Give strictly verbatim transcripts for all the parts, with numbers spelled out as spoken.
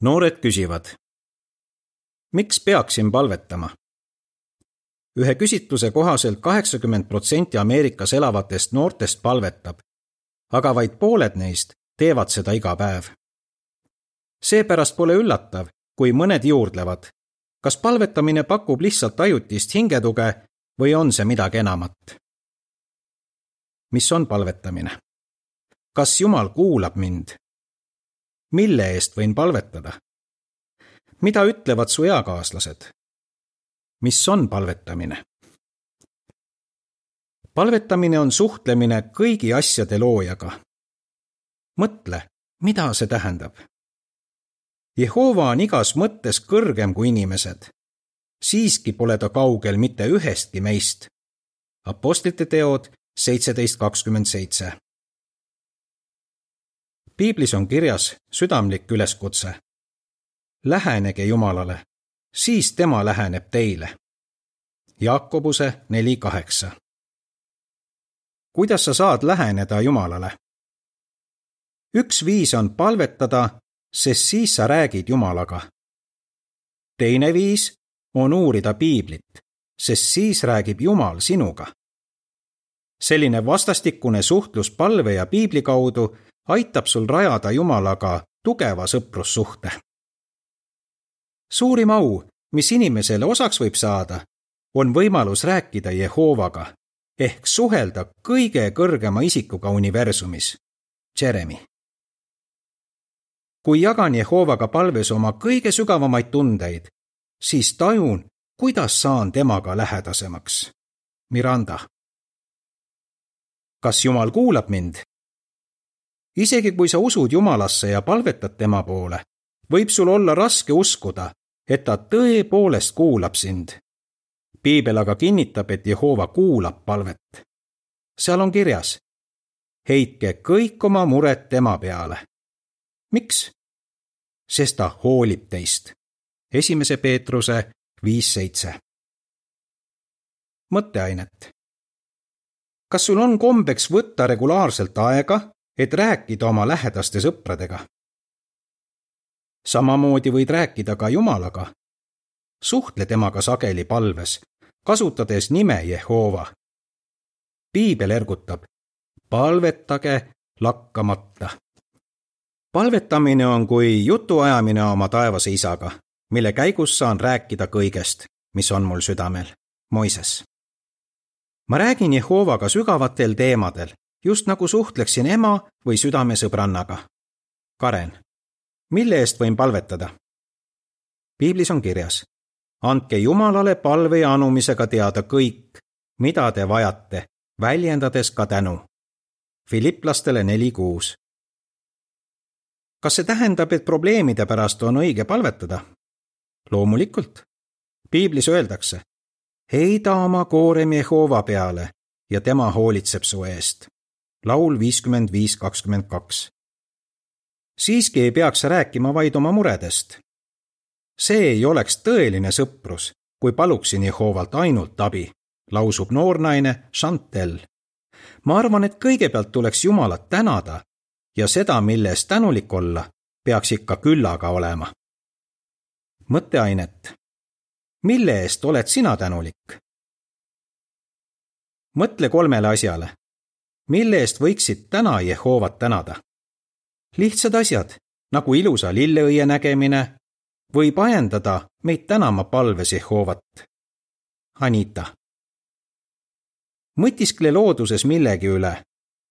Noored küsivad, miks peaksin palvetama? Ühe küsitluse kohaselt kaheksakümmend protsenti Ameerikas elavatest noortest palvetab, aga vaid pooled neist teevad seda iga päev. Seepärast pole üllatav, kui mõned juurdlevad, kas palvetamine pakub lihtsalt ajutist hingetuge või on see midagi enamat. Mis on palvetamine? Kas Jumal kuulab mind? Mille eest võin palvetada? Mida ütlevad su eakaaslased? Mis on palvetamine? Palvetamine on suhtlemine kõigi asjade loojaga. Mõtle, mida see tähendab? Jehova on igas mõttes kõrgem kui inimesed. Siiski pole ta kaugel mitte ühestki meist. Apostlite teod seitseteist kakskümmend seitse. Piiblis on kirjas südamlik üleskutse. Lähenege Jumalale, siis tema läheneb teile. Jaakobuse neli kaheksa. Kuidas sa saad läheneda Jumalale? Üks viis on palvetada, sest siis sa räägid Jumalaga. Teine viis on uurida Piiblit, sest siis räägib Jumal sinuga. Selline vastastikune suhtlus palve ja Piibli kaudu aitab sul rajada Jumalaga tugeva sõprussuhte. Suurim au, mis inimesele osaks võib saada, on võimalus rääkida Jehovaga ehk suhelda kõige kõrgema isikuga universumis, Jeremy. Kui jagan Jehovaga palves oma kõige sügavamaid tundeid, siis tajun, kuidas saan temaga lähedasemaks. Miranda. Kas Jumal kuulab mind? Isegi kui sa usud Jumalasse ja palvetad tema poole, võib sul olla raske uskuda, et ta tõepoolest kuulab sind. Piibel aga kinnitab, et Jehova kuulab palvet. Seal on kirjas, heitke kõik oma mured tema peale. Miks? Sest ta hoolib teist. Esimese Peetruse viis seitse. Mõtteainet. Kas sul on kombeks võtta regulaarselt aega, et rääkida oma lähedaste sõpradega? Samamoodi võid rääkida ka Jumalaga. Suhtle temaga sageli palves, kasutades nime Jehova. Piibel ergutab, palvetage lakkamata. Palvetamine on kui jutuajamine oma taevase isaga, mille käigus saan rääkida kõigest, mis on mul südamel. Moises. Ma räägin Jehovaga sügavatel teemadel, just nagu suhtleksin ema või südamesõbrannaga. Karen. Mille eest võin palvetada? Piiblis on kirjas, andke Jumalale palve ja anumisega teada kõik, mida te vajate, väljendades ka tänu. Filiplastele neli kuus. Kas see tähendab, et probleemide pärast on õige palvetada? Loomulikult. Piiblis öeldakse, heida oma koorem Jehova peale ja tema hoolitseb su eest. Laul viiskümmend viis kakskümmend kaks. Siiski ei peaks rääkima vaid oma muredest. See ei oleks tõeline sõprus, kui paluksin Jehovalt ainult abi, lausub noornaine Chantel. Ma arvan, et kõigepealt tuleks Jumalat tänada ja seda, mille eest tänulik olla, peaks ikka küllaga olema. Mõtteainet. Mille eest oled sina tänulik? Mõtle kolmele asjale. Mille eest võiksid täna Jehovat tänada? Lihtsad asjad, nagu ilusa lilleõie nägemine, võib ajendada meid tänama palves Jehovat. Anita. Mõtiskle looduses millegi üle,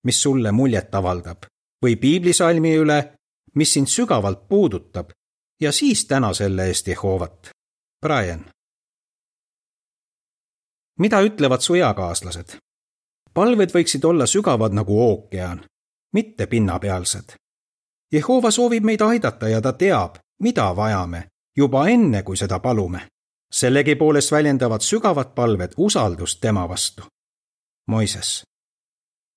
mis sulle muljet avaldab, või piiblisalmi üle, mis sind sügavalt puudutab, ja siis täna selle eest Jehovat. Brian. Mida ütlevad su eakaaslased? Palved võiksid olla sügavad nagu ookean, mitte pinnapealsed. Jehova soovib meid aidata ja ta teab, mida vajame, juba enne, kui seda palume. Sellegi poolest väljendavad sügavad palved usaldust tema vastu. Moises.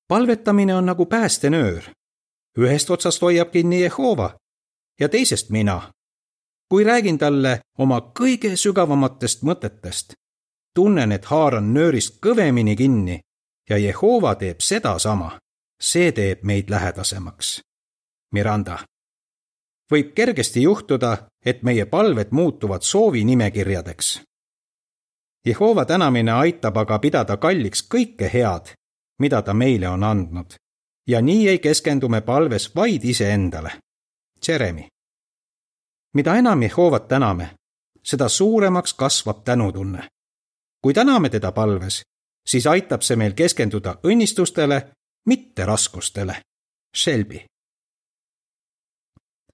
Palvetamine on nagu päästenöör. Ühest otsast hoiab kinni Jehova ja teisest mina. Kui räägin talle oma kõige sügavamatest mõtetest, tunnen, et haaran nöörist kõvemini kinni ja Jehova teeb seda sama. See teeb meid lähedasemaks. Miranda. võib kergesti juhtuda, et meie palved muutuvad soovinimekirjadeks. Jehova tänamine aitab aga pidada kalliks kõike head, mida ta meile on andnud, ja nii ei keskendu me palves vaid iseendale. Jeremy. Mida enam Jehovat täname, seda suuremaks kasvab tänutunne. Kui täname teda palves, siis aitab see meil keskenduda õnnistustele, mitte raskustele. Shelby.